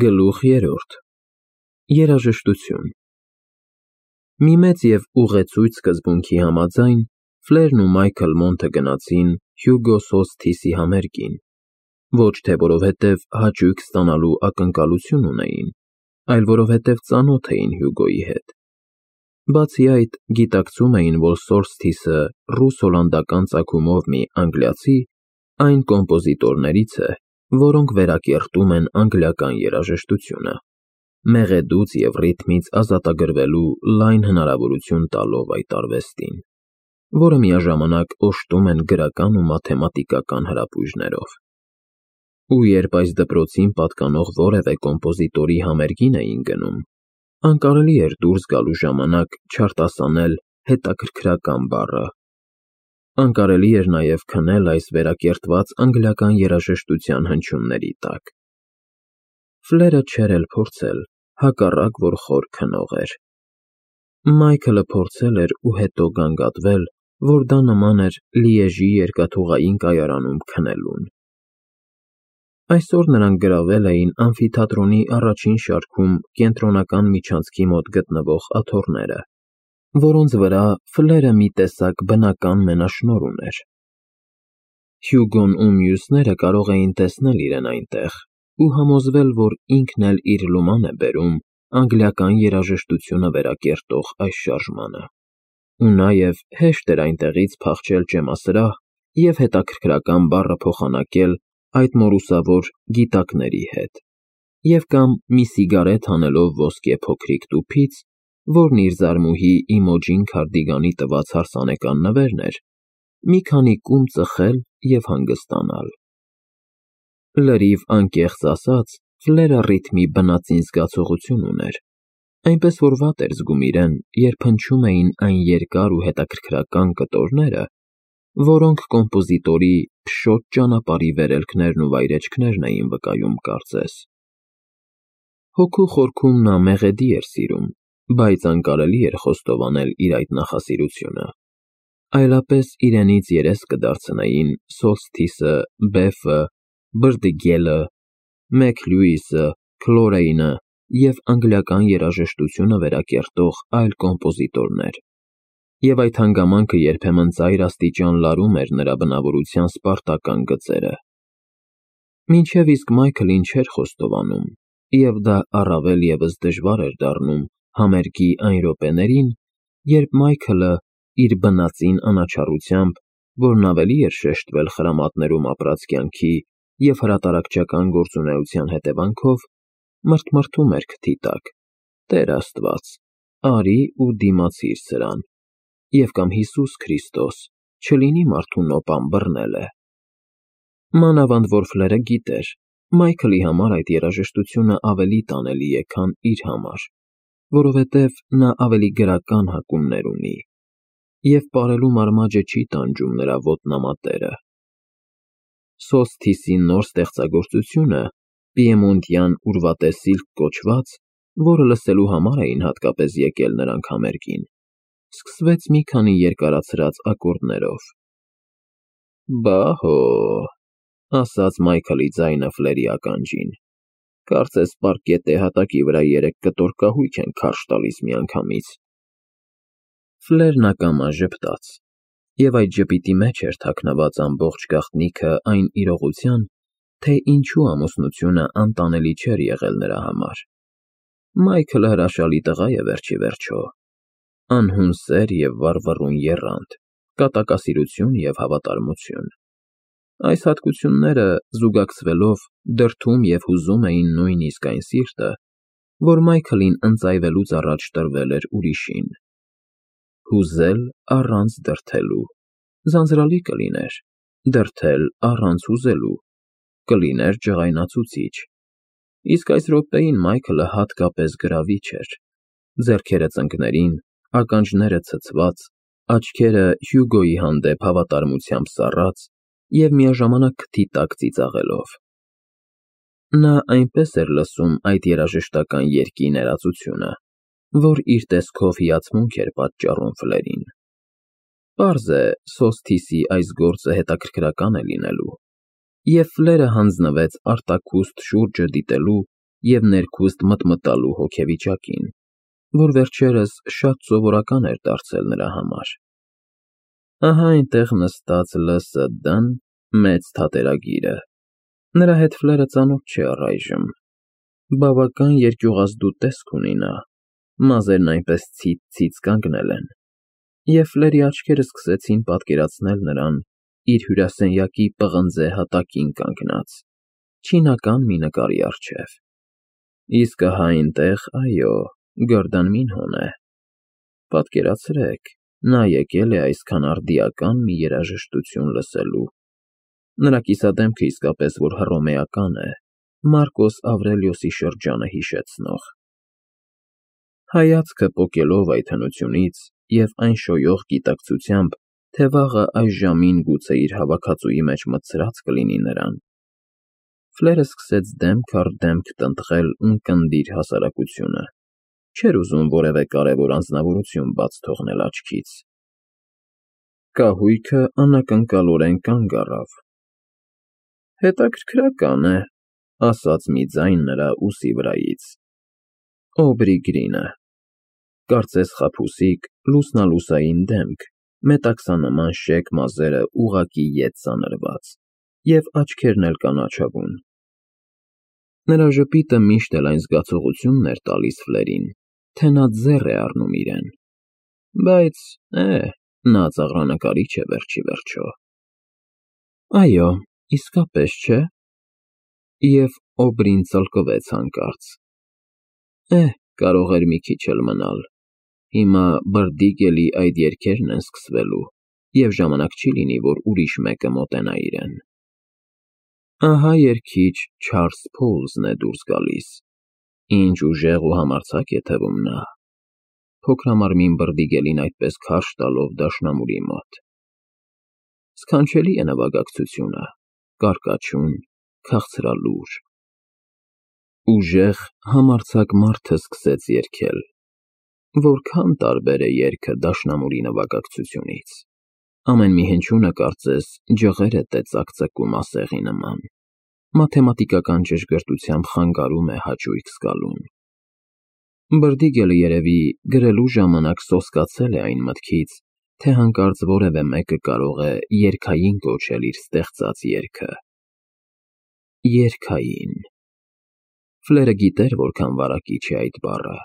Գլուխ 3 Երաժշտություն Մի մեծ և ուղեցույց սկզբունքի համաձայն Ֆլերն ու Մայքլ Մոնթը գնացին Հյուգո Սոլսթիսի համերգին, ոչ թե որովհետև հաճույք ստանալու ակնկալություն ունեին, այլ որովհետև ծանոթ էին Հյուգոյի հետ։ Բացի այդ, գիտակցում էին, որ Սոլսթիսը ռուս֊հոլանդական ծագումով մի անգլիացի այն կոմպոզիտորներից է, որոնք վերակերտում են անգլիական երաժշտությունը, մեղեդուց և ռիթմից ազատագրվելու լայն հնարավորություն տալով այդ արվեստին, որը միաժամանակ օժտում են գրական ու մաթեմատիկական հրապույժներով։ Ու երբ այս դպրոցին պատկանող որևէ կոմպոզիտորի համերգին էին գնում, անկարելի էր դուրս գալու ժամանակ չարտասանել հետաքրքրական բառը։ Անկարելի էր նաև քնել այս վերակերտված անգլիական երաժշտության հնչյունների տակ։ Ֆլերը չէր էլ փորձել, հակառակ որ խոր քնող էր։ Մայքլը փորձել էր ու հետո գանգատվել, որ դա նման էր Լիեժի երկաթուղային կայարանում քնելուն։ Այսօր նրանք գրավել էին ամֆիթատրոնի առաջին շարքում կենտրոնական միջանցքի մոտ գտնվող աթոռները, որոնց վրա Ֆլերը մի տեսակ բնական մենաշնորհ ուներ։ Հյուգոն ու մյուսները կարող էին տեսնել իրեն այնտեղ ու համոզվել, որ ինքն էլ իր լուման է բերում անգլիական երաժշտությունը վերակերտող այս շարժմանը։ Ու նաև հեշտ էր այնտեղից փախչել ճեմասրահ և հետաքրքրական բառը փոխանակել այդ մորուսավոր գիտակների հետ, և կամ մի սիգարետ հանելով ոսկե փոքրիկ տուփից, որն իր զարմուհի Իմոջին Քարդիգանի տված հարսանեկան նվերն էր, մի քանի կում ծխել և հանգստանալ։ Լրիվ անկեղծ ասած, Ֆլերը ռիթմի բնածին զգացողություն ուներ, այնպես որ վատ էր զգում իրեն, երբ հնչում էին այն երկար ու հետաքրքրական կտորները, որոնք կոմպոզիտորի փշոտ ճանապարհի վերելքներն ու վայրէջքներն էին վկայում կարծես։ Հոգու խորքում նա մեղեդի էր սիրում, բայց անկարելի էր խոստովանել իր այդ նախասիրությունը, այլապես իրենից երես կդարձնեին Սոլսթիսը, Բեֆը, Բրդգելը, Մեքլյուիսը, Քլորեյնը և անգլիական երաժշտությունը վերակերտող այլ կոմպոզիտորներ, և այդ հանգամանքը երբեմն ծայրաստիճան լարում էր նրա բնավորության սպարտական գծերը։ Մինչև իսկ Մայքլին չէր խոստովանում, և դա առավել ևս դժվար էր դառնում համերգի այն րոպեներին, երբ Մայքլը իր բնածին անաչառությամբ, որն ավելի էր շեշտվել խրամատներում ապրած կյանքի և հրատարակչական գործունեության հետևանքով, մրթմրթում էր քթի տակ. «Տեր Աստված, արի ու դիմացիր սրան», և կամ «Հիսուս Քրիստոս, չլինի մարդու նոպան բռնել է»։ Մանավանդ որ Ֆլերը գիտեր, Մայքլի համար այդ երաժշտությունը ավելի տանելի է, քան իր համար, որովհետև նա ավելի գրական հակումներ ունի, և պարելու մարմաճը չի տանջում նրա ոտնամատերը։ Սոլսթիսի նոր ստեղծագործությունը, պիեմոնտյան ուրվատե կոչված, որը լսելու համար էին հատկապես եկել նրանք համերգին, սկսվեց մի քանի երկարացրած ակորդներով։ «Բա հո», ասաց Մայքլի ձայնը Ֆլերի ականջին, «կարծես պառկետե հատակի վրա երեք կտոր կահույք են քարշ տալիս միանգամից»։ Ֆլերն ակամա ժպտաց, և այդ ժպիտի մեջ էր թաքնված ամբողջ գաղտնիքը այն իրողության, թե ինչու ամուսնությունը անտանելի չէր եղել նրա համար։ Մայքլը հրաշալի տղա է վերջիվերջո, անհուն սեր և վառվռուն եռանդ, կատակասիրություն և հավատարմություն։ Այս հատկությունները, զուգակցվելով, դրդում և հուզում էին նույնիսկ այն սիրտը, որ Մայքլին ընծայվելուց առաջ տրվել էր ուրիշին։ Հուզել առանց դրդելու ձանձրալի կլիներ, դրդել առանց հուզելու կլիներ ջղայնացուցիչ, իսկ այս րոպեին Մայքլը հատկապես գրավիչ էր, ձեռքերը ծնկներին, ականջները ցցված, աչքերը Հյուգոյի հանդեպ հավատարմությամբ սառած և միաժամանակ քթի տակ ծիծաղելով։ Նա այնպես էր լսում այդ երաժշտական երգի ներածությունը, որ իր տեսքով հիացմունք էր պատճառում Ֆլերին։ Պարզ է, Սոլսթիսի այս գործը հետաքրքրական է լինելու, և Ֆլերը հանձնվեց արտաքուստ շուրջը դիտելու և ներքուստ մտմտալու հոգեվիճակին, որ վերջերս շատ սովորական էր դարձել նրա համար։ Ահա այնտեղ նստած ԼՍԴ-ն, մեծ թատերագիրը։ Նրա հետ Ֆլերը ծանոթ չէ առայժմ։ Բավական երկյուղազդու տեսք ունի նա, մազերն այնպես ցից կանգնել են, և Ֆլերի աչքերը սկսեցին պատկերացնել նրան իր հյուրասենյակի պղնձե հատակին կանգնած, չինական մի նկարի առջև։ Իսկ ահա այնտեղ, այո, Գորդան Մինհոն է։ Պատկերացրեք, նա եկել է այսքան արդիական մի երաժշտություն լսելու։ Նրա կիսադեմքը իսկապես որ հռոմեական է, Մարկոս Ավրելիոսի շրջանը հիշեցնող։ Հայացքը պոկելով այդ հնությունից և այն շոյող գիտակցությամբ, թե վաղը այս ժամին գուցե իր հավաքածուի մեջ մտցրած կլինի նրան, Ֆլերը սկսեց դեմք առ դեմք տնտղել ունկնդիր հասարակությունը, չէր ուզում որևէ կարևոր անձնավորություն բաց թողնել աչքից։ Կահույքը անակնկալորեն կանգ առավ։ Հետաքրքրական է, ասաց մի ձայն նրա ուսի վրայից։ Օբրի Գրինը, կարծես խաբուսիկ, լուսնալուսային դեմք, մետաքսանման շեկ մազերը ուղղակի ետ ծանրված, և աչքերն էլ կանաչավուն։ Նրա ժպիտը միշտ էլ այն զգացողությունն էր տալիս Ֆլերին, թե նա ձեռ է առնում իրեն։ Բայց, նա ծաղրանկարիչ է վերջ ի վերջո։ Այո, իսկապես չէ։ Եվ Օբրին ծլկվեց հանկարծ։ Կարող էր մի քիչ էլ մնալ։ Հիմա Բրդիգելի այդ երգերն են սկսվելու, և ժամանակ չի լինի, որ ուրիշ մեկը մոտենա իրեն։ Ահա երգիչ Չարլզ Փոլզն է դուրս գալիս։ Ինչ ուժեղ ու համարձակ է թվում նա։ Փոքրամարմին Բրդիգելին այդպես քարշ տալով դաշնամուրի մոտ։ Սքանչելի է նվագակցությունը, կարկաչուն, քաղցրալուր։ Ուժեղ, համարձակ մարդը սկսեց երգել։ Որքան տարբեր է երգը դաշնամուրի նվագակցությունից։ Ամեն մի հնչյունը կարծես ջղեր է ծակծկում ասեղի նման, մաթեմատիկական ճշգրտությամբ խանգարում է հաճույք զգալուն։ Բրդիգելը երևի գրելու ժամանակ սոսկացել է այն մտքից, թե հանկարծ որևէ մեկը կարող է երգային կոչել իր ստեղծած երգը։ Երգային։ Ֆլերը գիտեր որքան վարակիչ է այդ բառը,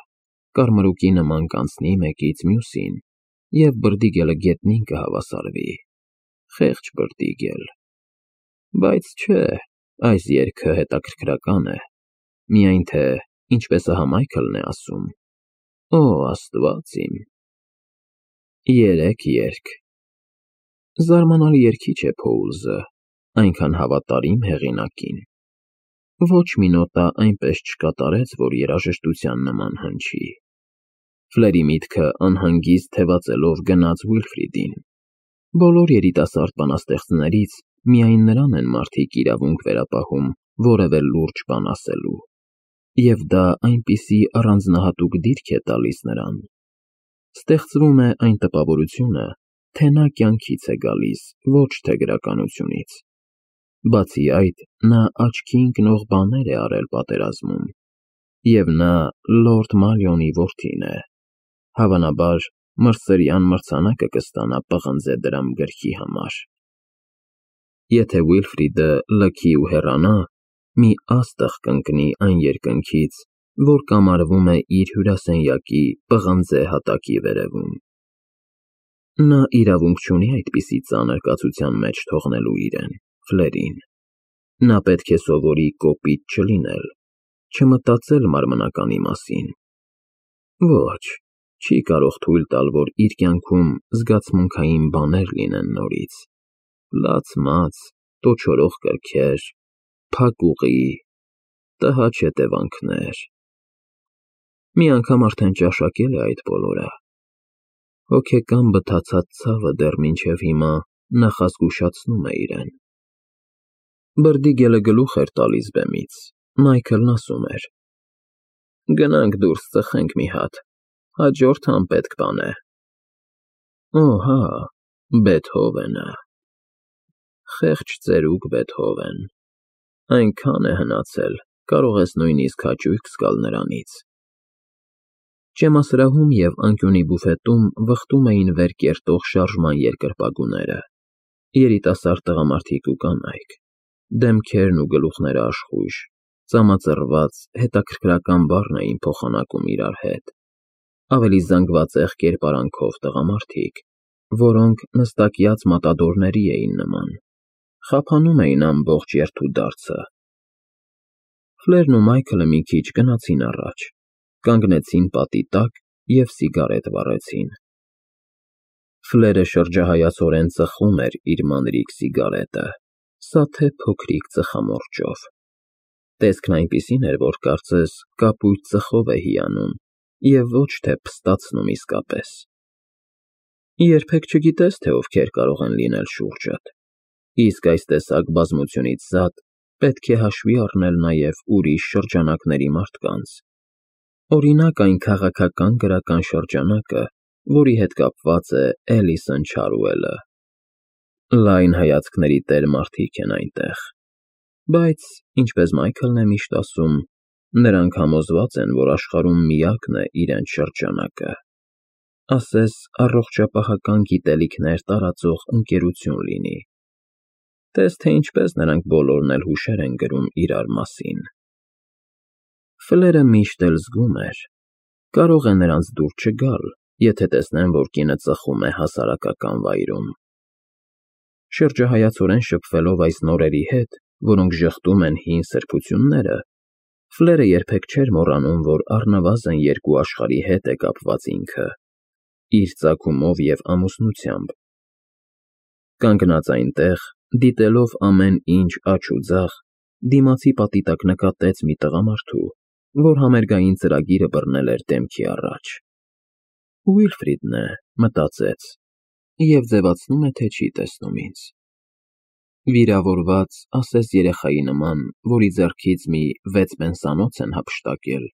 կարմրուկի նման կանցնի մեկից մյուսին, և Բրդիգելը գետնին կհավասարվի։ Խեղճ Բրդիգել։ Բայց չէ, այս երգը հետաքրքրական է, միայն թե ինչպես ահա Մայքլն է ասում. Օ, Աստված իմ։ Երեք երգ։ Զարմանալի երգիչ է Փոուլզը, այնքան հավատարիմ հեղինակին։ Ոչ մի նոտա այնպես չկատարեց, որ երաժշտության նման հնչի։ Ֆլերի միտքը անհանգիստ թևածելով գնաց Ուիլֆրիդին։ Բոլոր երիտասարդ բանաստեղծներից միայն նրան են մարդիկ իրավունք վերապահում որևէ լուրջ բան ասելու, և դա այնպիսի առանձնահատուկ դիրք է տալիս նրան։ Ստեղծվում է այն տպավորությունը, թե նա կյանքից է գալիս, ոչ թե գրականությունից։ Բացի այդ, նա աչքի ընկնող բաներ է արել պատերազմում, և նա Լորդ Մալյոնի որդին է, հավանաբար մրցրյան մրցանակը կստանա պղնձե դրամ գրքի համար։ Եթե Ուիլֆրիդը լքի ու հեռանա, մի աստղ կընկնի այն երկնքից, որ կամարվում է իր հյուրասենյակի պղնձե հատակի վերևում։ Նա իրավունք չունի այդպիսի ծանր կացության մեջ թողնելու իրեն, Ֆլերին։ Նա պետք է սովորի կոպիտ չլինել, չմտածել մարմնականի մասին։ Ոչ, չի կարող թույլ տալ, որ իր կյանքում զգացմունքային բաներ լինեն նորից։ Լաց-մաց, տոչորող կրքեր, փակ ուղի, տհաճ հետևանքներ։ Մի անգամ արդեն ճաշակել է այդ բոլորը։ Հոգեկան բթացած ցավը դեռ մինչև հիմա նախազգուշացնում է իրեն։ Բրդիգելը գլուխ էր տալիս բեմից, Մայքլն ասում էր. Գնանք դուրս ծխենք մի հատ, հաջորդ անպետք բան է։ Օ, հա, Բեթհովենը։ Խեղճ ծերուկ Բեթհովեն։ Այնքան է հնացել, կարող ես նույնիսկ հաճույք զգալ նրանից։ Ճեմասրահում և անկյունի բուֆետում վխտում էին վեր կերտող շարժման երկրպագուները, երիտասարդ տղամարդիկ ու կանայք, դեմքերն ու գլուխները աշխույժ, ծամածռված, հետաքրքրական բառն էին փոխանակում իրար հետ, ավելի զանգվածեղ կերպարանքով տղամարդիկ, որոնք նստակյաց մատադորների էին նման, խափանում էին ամբողջ երթուդարձը։ Ֆլերն ու Մայքլը մի քիչ գնացին առաջ, կանգնեցին պատի տակ և սիգարետ վառեցին։ Ֆլերը շրջահայացորեն ծխում էր իր մանրիկ սիգարետը, սաթե փոքրիկ ծխամորճով։ Տեսքն այնպիսին էր, որ կարծես կապույտ ծխով է հիանում և ոչ թե փստացնում իսկապես։ Երբեք չգիտես, թե ովքեր կարող են լինել շուրջդ, իսկ այս տեսակ բազմությունից զատ պետք է հաշվի առնել նաև ուրիշ շրջանակների մարդկանց, օրինակ այն քաղաքական-գրական շրջանակը, որի հետ կապված է Էլիսոն Չարուելը։ Լայն հայացքների տեր մարդիկ են այնտեղ, բայց, ինչպես Մայքլն է միշտ ասում, նրանք համոզված են, որ աշխարհում միակն է իրենց շրջանակը, ասես առողջապահական գիտելիքներ տարածող ընկերություն լինի։ Տես թե ինչպես նրանք բոլորն էլ հուշեր են գրում իրար մասին։ Ֆլերը միշտ էլ զգում էր, կարող է նրանց դուր չգալ, եթե տեսնեն, որ կինը ծխում է հասարակական վայրում։ Շրջահայացորեն շփվելով այս նորերի հետ, որոնք ժխտում են հին սրբությունները, Ֆլերը երբեք չէր մոռանում, որ առնվազն երկու աշխարհի հետ է կապված ինքը, իր ծագումով և ամուսնությամբ։ Կանգնած այնտեղ, դիտելով ամեն ինչ աջ ու ձախ, դիմացի պատի տակ նկատեց մի տղամարդու, որ համերգային ծրագիրը բռնել էր դեմքի առաջ։ Ուիլֆրիդն է, մտածեց, և ձևացնում է, թե չի տեսնում ինձ։ Վիրավորված, ասես երեխայի նման, որի ձեռքից մի 6 պենսանոց են հափշտակել,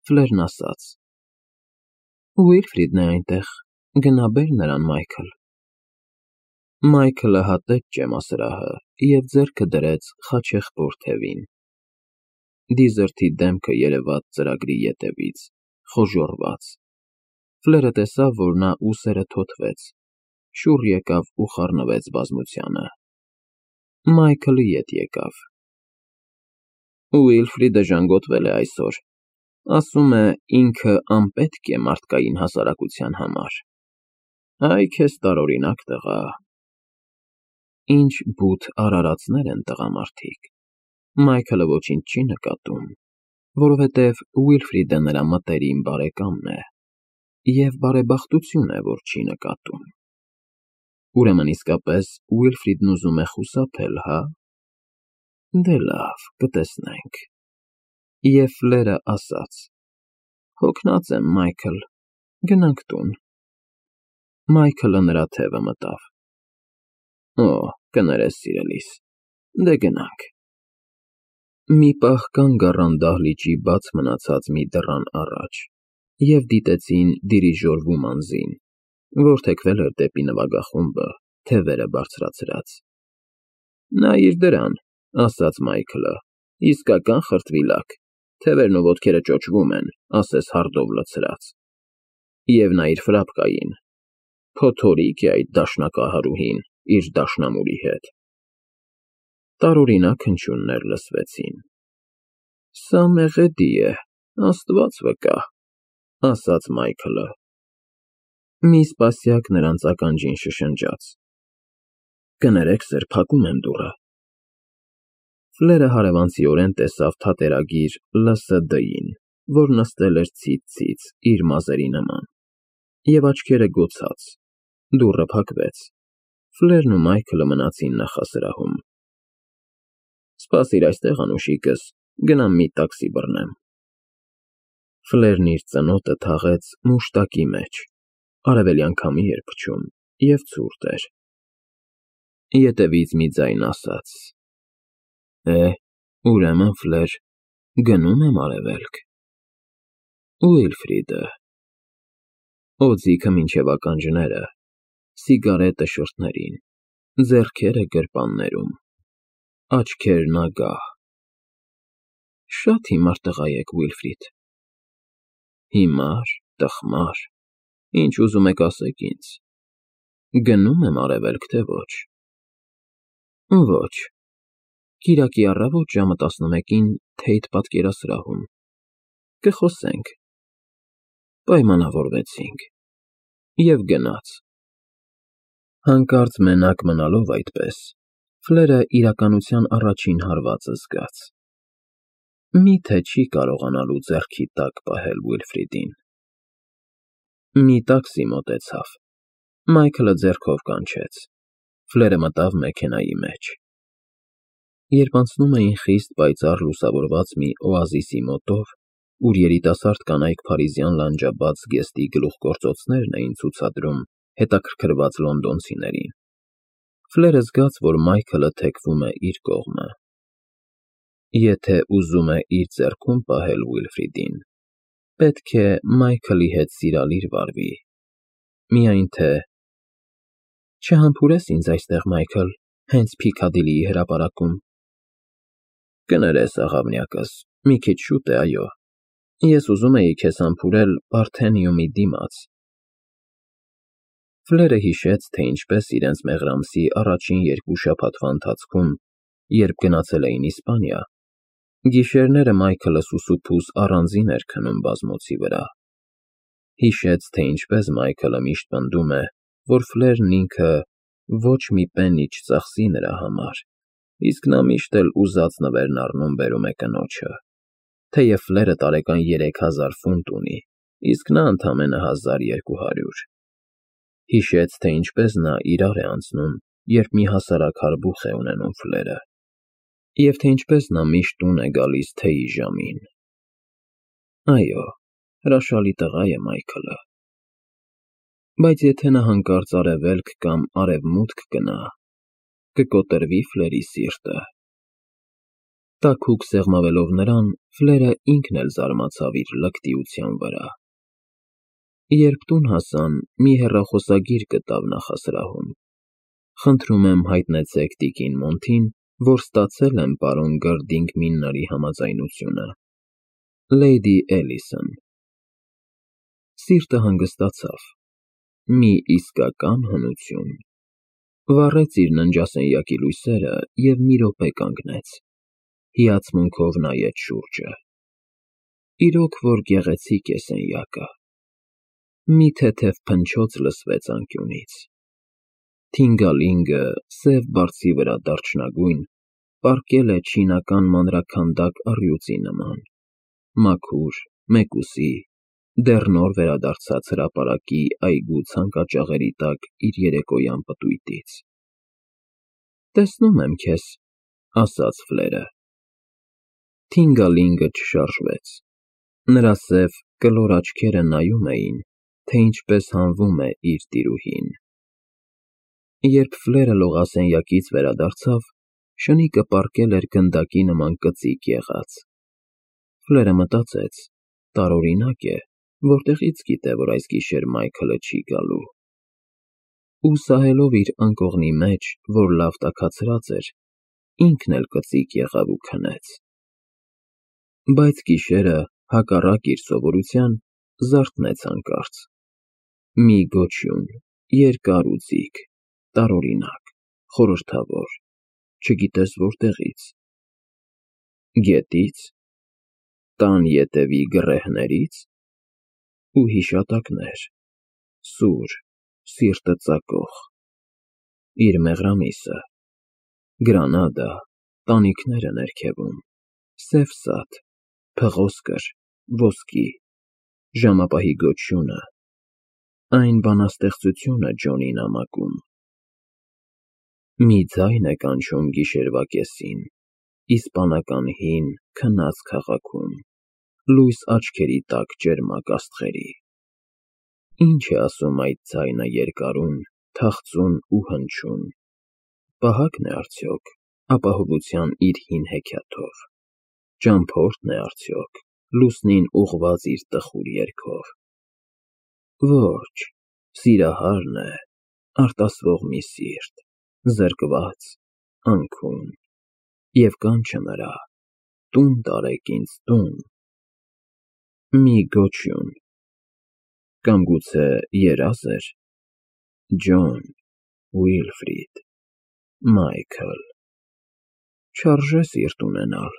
Ֆլերն ասաց. Ուիլֆրիդն է այնտեղ, գնա բեր նրան, Մայքլ։ Մայքլը հատեց ճեմասրահը և ձեռքը դրեց խաչեղբոր թևին։ Դիզերթի դեմքը երևաց ծրագրի ետևից, խոժոռված։ Ֆլերը տեսավ, որ նա ուսերը թոթվեց, շուռ եկավ ու խառնվեց բազմությանը։ Մայքլը ետ եկավ։ Ուիլֆրիդը ժանգոտվել է այսօր, ասում է, ինքը անպետք է մարդկային հասարակության համար։ Այ քեզ տարօրինակ տղա։ Ինչ բութ արարածներ են տղամարդիկ։ Մայքլը ոչինչ չի նկատում, որովհետև Ուիլֆրիդը նրա մտերիմ բարեկամն է, և բարեբախտություն է, որ չի նկատում։ Ուրեմն իսկապես Ուիլֆրիդն ուզում է խուսափել, հա՞։ Դե լավ, կտեսնենք։ Եվ Ֆլերը ասաց. Հոգնած եմ, Մայքլ, գնանք տուն։ Մայքլը նրա թևը մտավ։ Օ, կներես սիրելիս, դե գնանք։ Մի պահ կանգ առան դահլիճի բաց մնացած մի դռան առաջ և դիտեցին դիրիժոր Վումանզին, որ թեքվել էր դեպի նվագախումբը, թևերը բարձրացրած։ Նայիր դրան, ասաց Մայքլը, իսկական խրտվիլակ, թևերն ու ոտքերը ճոճվում են, ասես հարդով լցրած։ Եվ նայիր ֆրապկային, փոթորիկ է այդ դաշնակահարուհին իր դաշնամուրի հետ։ Տարօրինակ հնչյուններ լսվեցին։ Սա մեղեդի է, Աստված վկա, ասաց Մայքլը։ Մի սպասյակ նրանց ականջին շշնջաց. Կներեք, սըր, փակում եմ դուռը։ Ֆլերը հարևանցիորեն տեսավ թատերագիր ԼՍԴ-ին, որ նստել էր ցից-ցից իր մազերի նման, և աչքերը գոցաց, դուռը փակվեց, Ֆլերն ու Մայքլը մնացին նախասրահում։ Սպասիր այստեղ, անուշիկս, գնամ մի տաքսի բռնեմ։ Ֆլերն իր ծնոտը թաղեց մուշտակի մեջ, արևելյան քամի էր փչում և ցուրտ էր։ Ետևից մի ձայն ասաց. Ուրեմն, Ֆլեր, գնում եմ արևելք։ Ուիլֆրիդը։ Օձիքը մինչև ականջները, սիգարետը շրթներին, ձեռքերը գրպաններում, աչքերն ագահ։ Շատ հիմար տղա եք, Ուիլֆրիդ։ Հիմար, տխմար, ինչ ուզում եք ասեք ինձ։ Գնում եմ արևելք, թե ոչ։ Ոչ։ Կիրակի առավոտ ժամը 11-ին Թեյթ պատկերասրահում։ Կխոսենք։ Պայմանավորվեցինք։ Եվ գնաց։ Հանկարծ մենակ մնալով այդպես, Ֆլերը իրականության առաջին հարվածը զգաց։ Միթե չի կարողանալու ձեռքի տակ պահել Ուիլֆրիդին։ Մի տաքսի մոտեցավ։ Մայքլը ձեռքով կանչեց։ Ֆլերը մտավ մեքենայի մեջ։ Երբ անցնում էին խիստ պայծառ լուսավորված մի օազիսի մոտով, ուր երիտասարդ կանայք փարիզյան լանջաբաց զգեստի գլուխգործոցներն էին ցուցադրում հետաքրքրված լոնդոնցիներին, Ֆլերը զգաց, որ Մայքլը թեքվում է իր կողմը։ Եթե ուզում է իր ձեռքում պահել Ուիլֆրիդին, պետք է Մայքլի հետ սիրալիր վարվի, միայն թե… Չհամբուրես ինձ այստեղ, Մայքլ, հենց Փիքադիլիի հրապարակում։ Կներես, աղավնյակս, մի քիչ շուտ է, այո։ Ես ուզում էի քեզ համբուրել Պարթենիումի դիմաց։ Ֆլերը հիշեց, թե ինչպես իրենց մեղրամսի առաջին 2 շաբաթվա ընթացքում, երբ գնացել էին Իսպանիա, գիշերները Մայքլը սուսուփուս առանձին էր քնում բազմոցի վրա։ Հիշեց, թե ինչպես Մայքլը միշտ պնդում է, որ Ֆլերն ինքը ոչ մի պեննի չծախսի նրա համար, իսկ նա միշտ էլ ուզած նվերն առնում֊բերում է կնոջը, թեև Ֆլերը տարեկան 3000 ֆունտ ունի, իսկ նա ընդամենը 1200։ Հիշեց, թե ինչպես նա իրար է անցնում, երբ մի հասարակ հարբուխ է ունենում Ֆլերը, և թե ինչպես նա միշտ տուն է գալիս թեյի ժամին։ Այո, հրաշալի տղա է Մայքլը։ Բայց եթե նա հանկարծ արևելք կամ արևմուտք գնա, կկոտրվի Ֆլերի սիրտը։ Տաքուկ սեղմավելով նրան, Ֆլերը ինքն էլ զարմացավ իր լկտիության վրա։ Երբ տուն հասան, մի հեռախոսագիր գտավ նախասրահում։ Խնդրում եմ հայտնեցեք տիկին Մոնթին, որ ստացել եմ պարոն Գըրդինգ Մինների համաձայնությունը։ Լեյդի Էլիսոն։ Սիրտը հանգստացավ։ Մի իսկական հնություն։ Վառեց իր ննջասենյակի լույսերը և մի րոպե կանգնեց։ Հիացմունքով նայեց շուրջը։ Իրոք որ գեղեցիկ է սենյակը։ Մի թեթև փնչոց լսվեց անկյունից։ Թինգալինգը, սև բարձի վրա դարչնագույն, պառկել է չինական մանրաքանդակ առյուծի նման, մաքուր, մեկուսի, դեռ նոր վերադարձած հրապարակի այգու ցանկաճաղերի տակ իր երեկոյան պտույտից։ Տեսնում եմ քեզ, ասաց Ֆլերը։ Թինգալինգը չշարժվեց։ Նրա սև կլոր աչքերը նայում էին, թե ինչպես հանվում է իր տիրուհին։ Երբ Ֆլերը լողասենյակից վերադարձավ, շնիկը պառկել էր գնդակի նման կծիկ եղած։ Ֆլերը մտածեց, տարօրինակ է, որտեղից գիտե, որ այս գիշեր Մայքլը չի գալու։ Ու սահելով իր անկողնի մեջ, որ լավ տաքացրած էր, ինքն էլ կծիկ եղավ ու քնեց։ Բայց գիշերը, հակառակ իր սովորության, զարթնեց հանկարծ։ Մի գոչյուն, երկար ու ձիգ, տարօրինակ, խորհրդավոր, չգիտես որտեղից։ Գետի՞ց, տան ետևի գռեհնի՞ց։ Ու հիշատակներ, սուր, սիրտը ծակող։ Իր մեղրամիսը, Գրանադա, տանիքները ներքևում, սև սատ, փղոսկր, ոսկի, ժամապահի գոչյունը, այն բանաստեղծությունը Ջոնի նամակում։ Մի ձայն է կանչում գիշերվա կեսին, իսպանական հին, քնած քաղաքում, լույս աչքերի տակ ճերմակ աստղերի։ Ինչ է ասում այդ ձայնը երկարուն, թախծուն ու հնչյուն։ Պահա՞կն է արդյոք, ապահովության իր հին հեքիաթով։ Ճամփորդն է արդյոք, լուսնին ուղղված իր տխուր երգով։ Ոչ, սիրահարն է, արտասվող մի սիրտ, զրկված, անքուն, և կանչը նրա, տուն տարեք ինձ, տուն, մի գոչյուն, կամ գուցե երազ էր, Ջոն, Ուիլֆրիդ, Մայքլ, չարժե սիրտ ունենալ,